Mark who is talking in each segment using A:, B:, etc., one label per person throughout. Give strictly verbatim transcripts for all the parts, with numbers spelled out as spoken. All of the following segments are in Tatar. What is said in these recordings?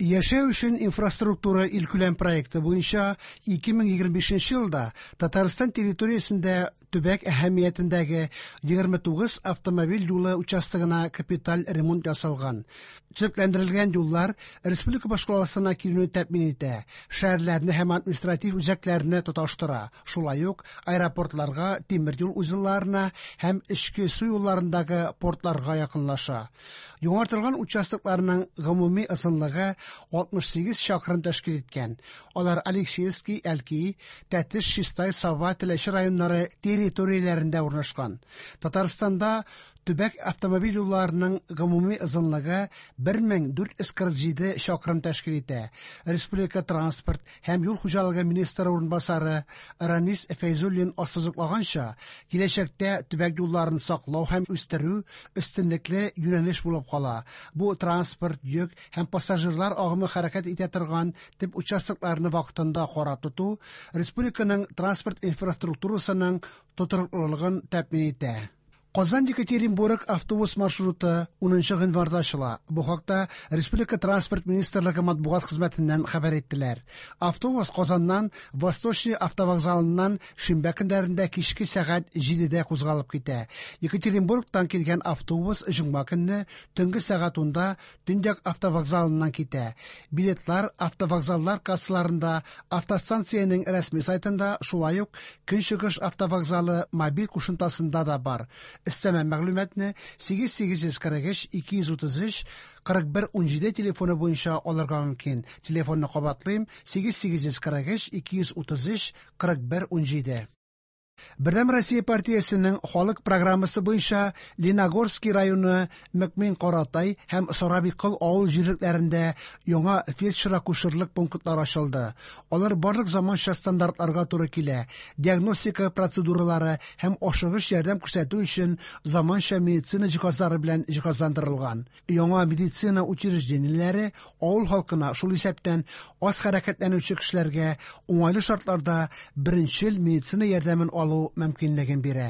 A: Яшәү өчен инфраструктура илкүләм проекты буенча ике мең егерме бишенче елда Татарстан территориясендә төбәк әһәмиятендәге егерме тугыз автомобиль юлы участогына капиталь ремонт ясалган. Төзекләндерелгән юллар республика башкаласына килүне тәэмин итә, шәһәрләрне һәм административ үзәкләрне тоташтыра, шулай ук аэропортларга, тимер юл узелларына һәм эчке су юлларындагы портларга якынлаша. Яңартылган участокларның гомуми озынлыгы алтмыш сигез чакрым тәшкил иткән. Алар Алексеевский, Әлки, Тәтеш, Чистай, Саба, Теләче районнары территорияләрендә урнашкан. Татарстанда төбәк автомобиль юлларының гомуми озынлыгы бер мең дүрт йөз кырык җиде чакрым тәшкил итә. Республика транспорт һәм юл хуҗалыгы министры урынбасары Ранис Фәйзуллин ассызыклаганча, киләчәктә төбәк юлларын саклау һәм үстерү өстенлекле юнәлеш булып кала. Бу транспорт, йөк һәм пассажирлар агымы хәрәкәт итә торган төп участокларны вакытында карап тоту республиканың транспорт инфраструктурасының тотрыклылыгын тәэмин итә. Казан Екатеринбург автобус маршруты унынчы гыйнварда ачыла. Бу хакта Республика транспорт министрлыгы матбугат хезмәтеннән хәбәр иттеләр. Автобус Казаннан Восточный автовокзалыннан шимбә көннәрендә кичке сәгать җидедә кузгалып китә. Екатеринбургтан килгән автобус җомга көнне төнге сәгать унда Төньяк автовокзалыннан китә. Билетлар автовокзаллар кассаларында, автостанциянең рәсми сайтында, шулай ук Көнчыгыш автовокзалы мобиль кушымтасында да бар. Өстәмә мәгълүматны сигез сигез йөз кырык өч ике йөз утыз өч кырык бер ун җиде телефоны буенча алырга мөмкин. Телефонны кабатлыйм: сигез сигез йөз кырык өч ике йөз утыз өч кырык бер ун җиде. Бердәм Россия партиясенең халык программасы буенча Лениногорский районы Мөкмин Каратай һәм Сарабиккол авыл җирлекләрендә яңа фельдшер-акушерлык пунктлары ачылды. Алар барлык заманча стандартларга туры килә. Диагностика процедуралары һәм ашыгыч ярдәм күрсәтү өчен заманча медицина җиһазлары белән җиһазландырылган. Яңа медицина учреждениеләре авыл халкына, шул исәптән аз хәрәкәтләнүче кешеләргә уңайлы шартларда беренчел медицина ярдәмен алу мөмкинлеген бирә.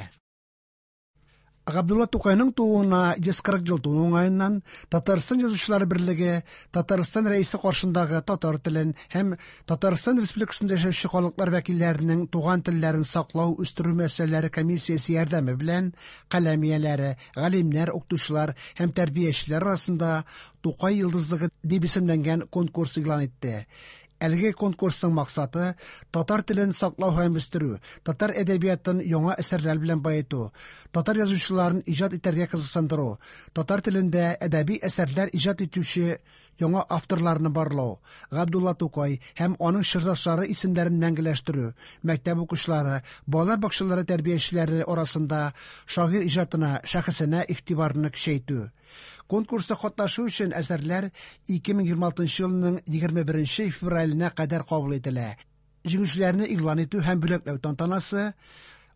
A: Габдулла Тукайның тууына йөз кырык ел тулу уңаеннан Татарстан Язучылар берлеге Татарстан Рәисе каршындагы татар телен һәм Татарстан Республикасында яшәүче халыклар вәкилләренең туган телләрен саклау, үстерү мәсьәләләре комиссиясе ярдәме белән каләм ияләре, галимнәр, укытучылар һәм тәрбиячеләр арасында Тукай йолдызлыгы дип исемләнгән конкурс игълан итте. Әлеге конкурсның максаты татар телен саклау һәм үстерү, татар әдәбиятын яңа әсәрләр белән баету, татар язучыларын иҗат итәргә кызыксындыру, татар телендә әдәби әсәрләр иҗат итүче яңа авторларны барлау, Габдулла Тукай һәм аның чордашлары исемнәрен мәңгеләштерү, мәктәп укучылары, балалар бакчалары тәрбиячеләре арасында шагыйрь иҗатына, шәхесенә игътибарны көчәйтү. Конкурста катнашу өчен әсәрләр ике мең егерме алтынчы елның егерме беренче февраленә кадәр кабул ителә. Җиңүчеләрне игълан итү һәм бүләкләү тантанасы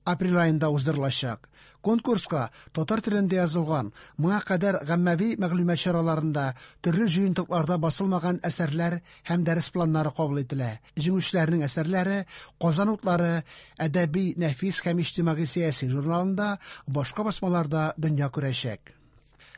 A: апрель аенда уздырылачак. Конкурска татар телендә язылган, моңа кадәр гаммәви мәгълүмат чараларында, төрле җыентыкларда басылмаган әсәрләр һәм дәрес планнары кабул ителә. Җиңүчеләрнең әсәрләре Казан утлары әдәби, нәфис һәм иҗтимагый сәяси журналында, башка басмаларда дөнья күрәчәк.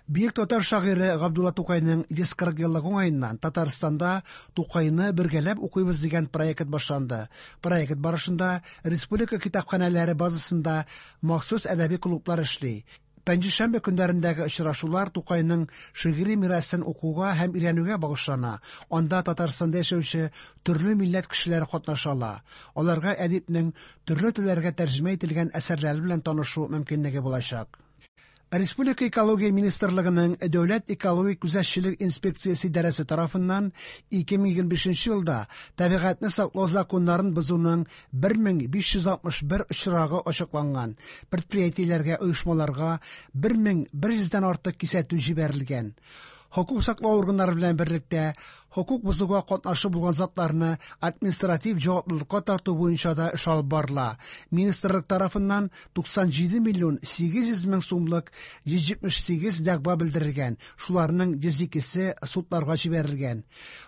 A: Бөек татар шагыйре Габдулла Тукайның йөз кырык еллыгы уңаеннан Татарстанда Тукайны бергәләп укыйбыз дигән проект башланды. Проект барышында республика китапханәләре базасында махсус әдәби клублар эшли. Пәнҗешәмбе көннәрендәге очрашулар Тукайның шигъри мирасын укуга һәм өйрәнүгә багышлана. Анда Татарстанда яшәүче төрле милләт кешеләре катнаша ала. Аларга әдипнең төрле телләргә тәрҗемә ителгән әсәрләре белән танышу мөмкинлеге булачак. Республика Экология Министрлыгының Дәүләт экологик күзәтчелек инспекциясе идарәсе тарафыннан ике мең егерме бишенче елда табигатьне саклау законнарын бозуның бер мең биш йөз алтмыш бер очрагы ачыкланган. Предприятиеләргә, оешмаларга бер мең бер йөздән артык кисәтү җибәрелгән. Хокук саклау органнары белән берлектә хокук бозуга катнашы булган затларны административ җаваплылыкка тарту буенча да эш алып барыла. Министрлык тарафыннан туксан җиде миллион сигез йөз мең сумлык йөз җитмеш сигез дәгъва белдерелгән, шуларның йөз икесе судларга җибәрелгән.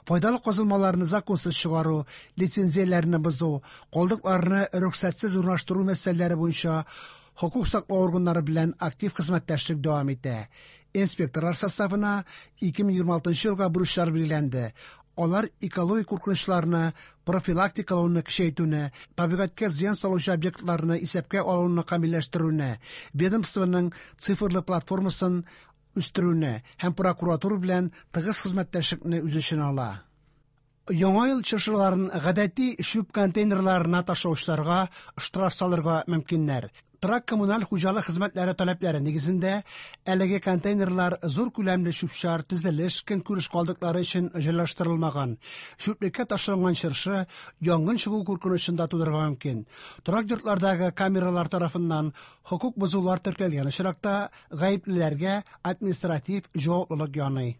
A: Файдалы казылмаларны законсыз чыгару, лицензияләрне бозу, калдыкларны рөхсәтсез урнаштыру мәсьәләләре буенча хокук саклау органнары белән актив хезмәттәшлек дәвам итә. Инспекторлар составына ике мең егерме алтынчы елга бурычлар билгеләнде. Алар экологик куркынычларны профилактикалауны көчәйтүне, табигатькә зыян салучы объектларны исәпкә алуны камилләштерүне, ведомствоның цифрлы платформасын үстерүне һәм прокуратура белән тыгыз хезмәттәшлекне үз эченә ала. Яңа ел чыршыларын гадәти чүп контейнерларына ташлаучыларга штраф салырга мөмкиннәр. Торак-коммуналь хуҗалык хезмәтләре таләпләре нигезендә әлеге контейнерлар зур күләмле чүп-чар, төзелеш, көнкүреш калдыклары өчен җайлаштырылмаган. Чүплеккә ташланган чыршы янгын чыгу куркынычын да тудырырга мөмкин. Торак йортлардагы камералар тарафыннан хокук бозулар теркәлгән очракта гаеплеләргә административ җаваплылык яный.